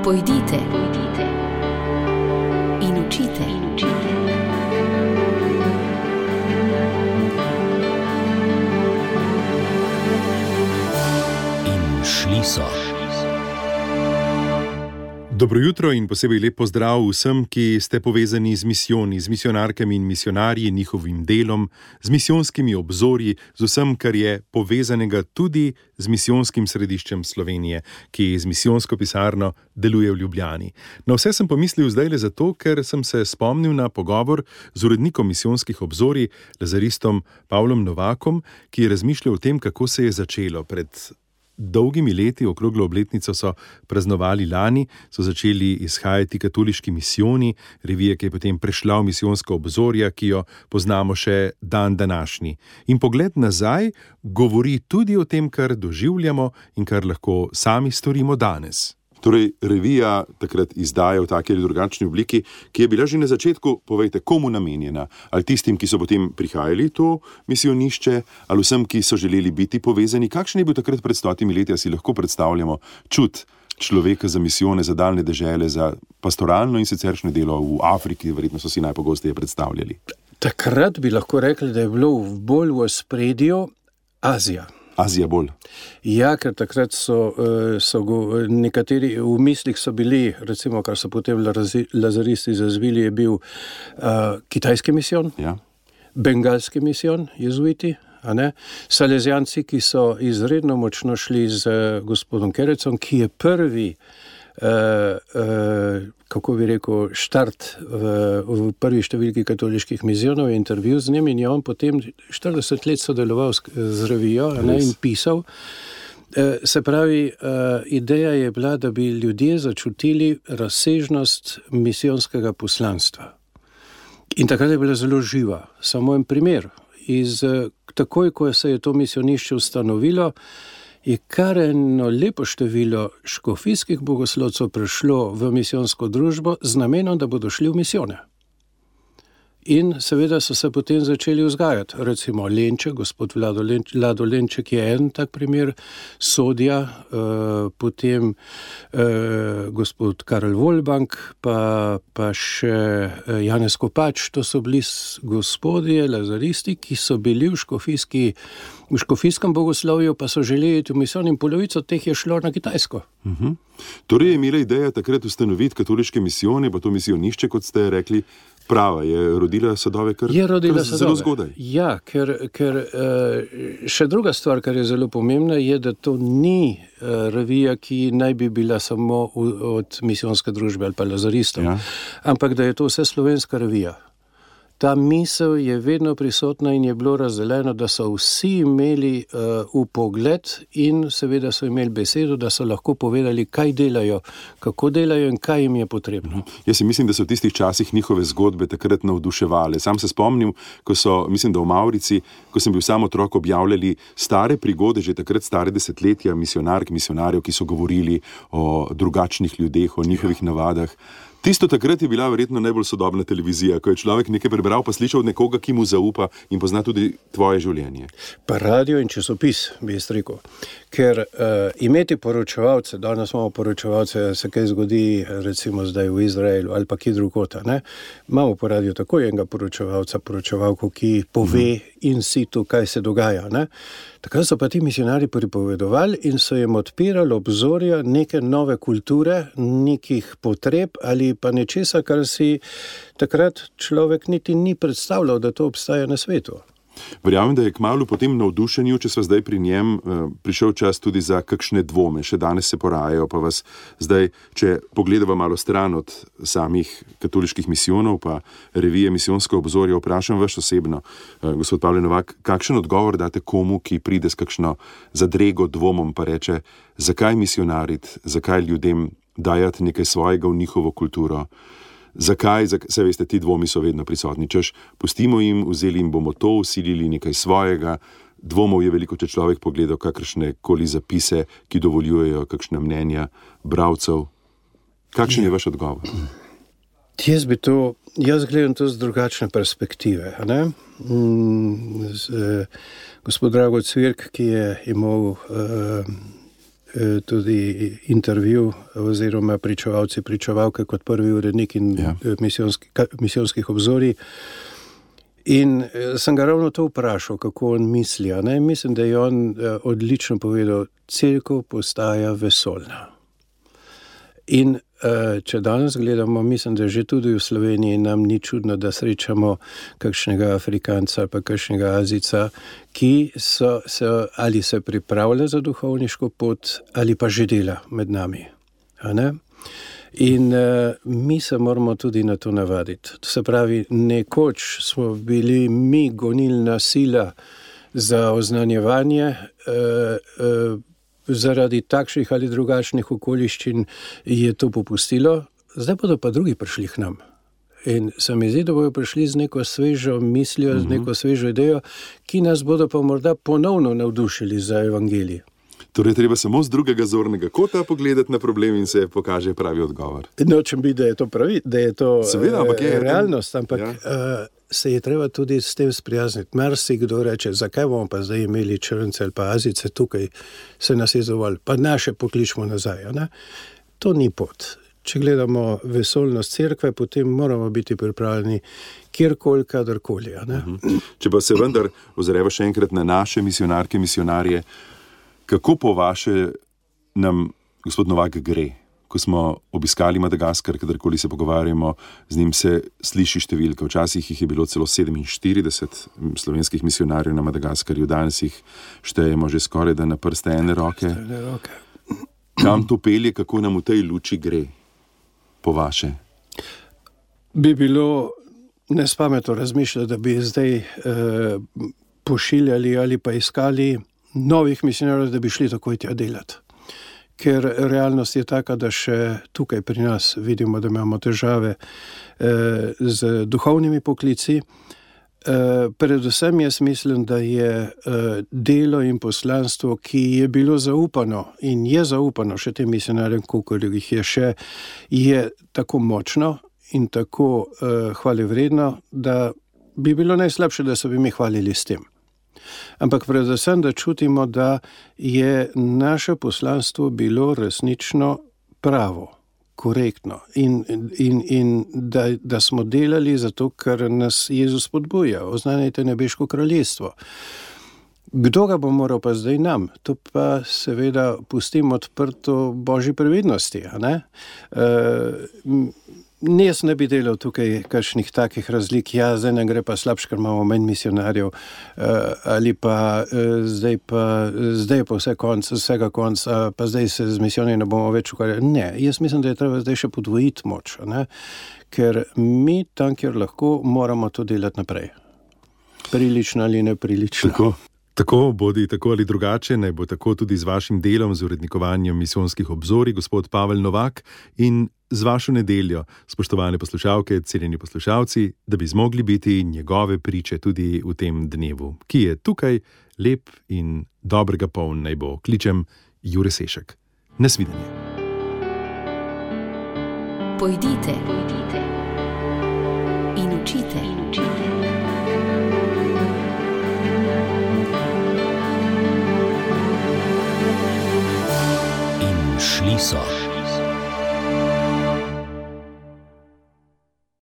Pojdite in učite. In šli so. Dobro jutro in posebej lep pozdrav vsem, ki ste povezani z misijoni, z misionarkami in misionarji, njihovim delom, z misijonskimi obzorji, z vsem, kar je povezanega tudi z misijonskim središčem Slovenije, ki z misijonsko pisarno deluje v Ljubljani. Na vse sem pomislil zdajle zato, ker sem se spomnil na pogovor z urednikom misijonskih obzorij, lazaristom Pavlom Novakom, ki je razmišljal o tem, kako se je začelo. Pred dolgimi leti, okroglo obletnico so praznovali lani, so začeli izhajati Katoliški misijoni, revija, ki je potem prešla v misijonska obzorja, ki jo poznamo še dan današnji. In pogled nazaj govori tudi o tem, kar doživljamo in kar lahko sami storimo danes. Torej, revija takrat izdaja v taki ali drugačni obliki, ki je bila že na začetku, povejte, komu namenjena? Ali tistim, ki so potem prihajali to misijonišče, ali vsem, ki so želeli biti povezani? Kakšen je bil takrat pred 100 leti, a si lahko predstavljamo čut človeka za misijone, za daljne dežele, za pastoralno in siceršnje delo v Afriki, verjetno so si najpogosteje predstavljali? Takrat bi lahko rekli, da je bilo bolj v ospredju Azija. Azija bolj. Ja, ker takrat so nekateri v mislih so bili, recimo, kar so potem lazaristi zazvili, je bil kitajski misijon, Ja. bengalski misijon, jezuiti, Salezijanci, ki so izredno močno šli z gospodom Kerecom, ki je prvi, kako bi rekel, štart v prvi številki katoliških misijonov, je intervju z njim in je on potem 40 let sodeloval z revijo in pisal. Se pravi, ideja je bila, da bi ljudje začutili razsežnost misijonskega poslanstva. In takrat je bila zelo živa. Samo en primer. Takoj, ko se je to misijonišče ustanovilo, je kar eno lepo število škofijskih bogoslovcev prišlo v misijonsko družbo z namenom, da bodo šli v misijone. In seveda so se potem začeli vzgajati. Recimo Lenček, gospod Vlado Lenček je en tak primer, Sodja, potem gospod Karel Volbank, pa še Janez Kopač. To so bili gospodje, lazaristi, ki so bili v škofijskem bogoslovju, pa so želeli v misijon in polovico teh je šlo na Kitajsko. Torej je imela ideja takrat ustanoviti katoliške misijone, pa to misijonišče, kot ste rekli, prava, je rodila sadove kar zelo zgodaj. Ja, ker še druga stvar, kar je zelo pomembna, je, da to ni revija, ki naj bi bila samo od misijonske družbe ali pa lazaristov, ampak da je to vse slovenska revija. Ta misel je vedno prisotna in je bilo razdeljeno, da so vsi imeli vpogled in seveda so imeli besedo, da so lahko povedali, kaj delajo, kako delajo in kaj jim je potrebno. Jaz si mislim, da so v tistih časih njihove zgodbe takrat navduševale. Sam se spomnim, ko so, mislim, da v Mavrici, ko sem bil sam otrok, objavljali stare prigode, že takrat stare desetletja misionarjev, ki so govorili o drugačnih ljudeh, o njihovih navadah. Tisto takrat je bila verjetno najbolj sodobna televizija, ko je človek nekaj prebral, pa slišal od nekoga, ki mu zaupa in pozna tudi tvoje življenje. Pa radio in časopis, bi jaz rekel. Ker imeti poročevalce, danes imamo poročevalce, se kaj zgodi recimo zdaj v Izraelu ali pa kje drugod, imamo po radiju tako enega poročevalko, ki pove in situ, kaj se dogaja. Takrat so pa ti misionarji pripovedovali in so jim odpirali obzorja neke nove kulture, nekih potreb ali pa nečesa, kar si takrat človek niti ni predstavljal, da to obstaja na svetu. Verjamem, da je kmalu po tem navdušenju, če sva zdaj pri njem, prišel čas tudi za kakšne dvome. Še danes se porajajo, pa vas zdaj, če pogledava malo stran od samih katoliških misijonov, pa revije Misijonsko obzorje, vprašam vas osebno, gospod Pavle Novak, kakšen odgovor date komu, ki pride s kakšno zadrego dvomom, pa reče, zakaj misionariti, zakaj ljudem dajati nekaj svojega v njihovo kulturo? Zakaj, saj veste, ti dvomi so vedno prisotni, češ, pustimo jim, vzeli jim bomo to, vsilili nekaj svojega. Dvomov je veliko, če človek pogleda kakršne koli zapise, ki dovoljujejo kakšna mnenja bralcev. Kakšen je vaš odgovor? Jaz gledam to z drugačne perspektive. Gospod Drago Cvirk, ki je imel tudi intervju oziroma pričevalke kot prvi urednik in misijonskih obzorij. In sem ga ravno to vprašal, kako on misli. Mislim, da je on odlično povedal, cerkev postaja vesoljna. In če danes gledamo, mislim, da že tudi v Sloveniji nam ni čudno, da srečamo kakšnega Afrikanca ali pa kakšnega Azijca, ki ali se pripravlja za duhovniško pot ali pa že dela med nami. In mi se moramo tudi na to navaditi. To se pravi, nekoč smo bili mi gonilna sila za oznanjevanje, zaradi takšnih ali drugačnih okoliščin je to popustilo, zdaj bodo pa drugi prišli k nam. In se mi zdi, da bodo prišli z neko svežo mislijo, z neko svežo idejo, ki nas bodo pa morda ponovno navdušili za evangelij. Torej, treba samo z drugega zornega kota pogledati na problem in se pokaže pravi odgovor. Nočem biti, da je to seveda, realnost, ampak se je treba tudi s tem sprijazniti. Marsikdo reče, zakaj bomo pa zdaj imeli Črnce ali pa Azijce tukaj, se nas je dovolj, pa naše pokličemo nazaj. To ni pot. Če gledamo vesoljnost cerkve, potem moramo biti pripravljeni kjerkoli, kadarkoli. Če pa se vendar ozreva še enkrat na naše misionarke, misionarje, kako po vaše nam gospod Novak gre? Ko smo obiskali Madagaskar, kadarkoli se pogovarjamo, z njim se sliši številka. Včasih jih je bilo celo 47 slovenskih misionarjev na Madagaskarju, danes jih štejemo že skoraj da na prste ene roke. Kam to pelje, kako nam v tej luči gre, po vaše? Bi bilo nespametno razmišljati, da bi zdaj pošiljali ali pa iskali novih misionarjev, da bi šli takoj tja delati. Ker realnost je taka, da še tukaj pri nas vidimo, da imamo težave z duhovnimi poklici. Predvsem jaz mislim, da je delo in poslanstvo, ki je bilo zaupano in je zaupano še tem misionarjem, koliko jih je še, je tako močno in tako hvalevredno, da bi bilo najslabše, da se bi mi hvalili s tem. Ampak predvsem, da čutimo, da je naše poslanstvo bilo resnično pravo, korektno in da smo delali zato, ker nas Jezus spodbuja, oznanjajte nebeško kraljestvo. Kdo ga bo moral pa zdaj nam? To pa seveda pustimo odprto Božji previdnosti. Jaz ne bi delal tukaj kakšnih takih razlik, zdaj ne gre pa slabš, ker imamo manj misionarjev, ali pa zdaj je pa vsega konc, pa zdaj se z misijonami ne bomo več ukvarjali. Ne, jaz mislim, da je treba zdaj še podvojiti moč, ker mi tam, kjer lahko, moramo to delati naprej. Prilično ali neprilično. Tako bodi tako ali drugače, naj bo tako tudi z vašim delom, z urednikovanjem misijonskih obzorij, gospod Pavel Novak, in z vašo nedeljo, spoštovane poslušalke, cenjeni poslušalci, da bi zmogli biti njegove priče tudi v tem dnevu, ki je tukaj lep in dobrega poln naj bo. Kličem Jure Sešek. Nasvidenje. Pojdite in učite.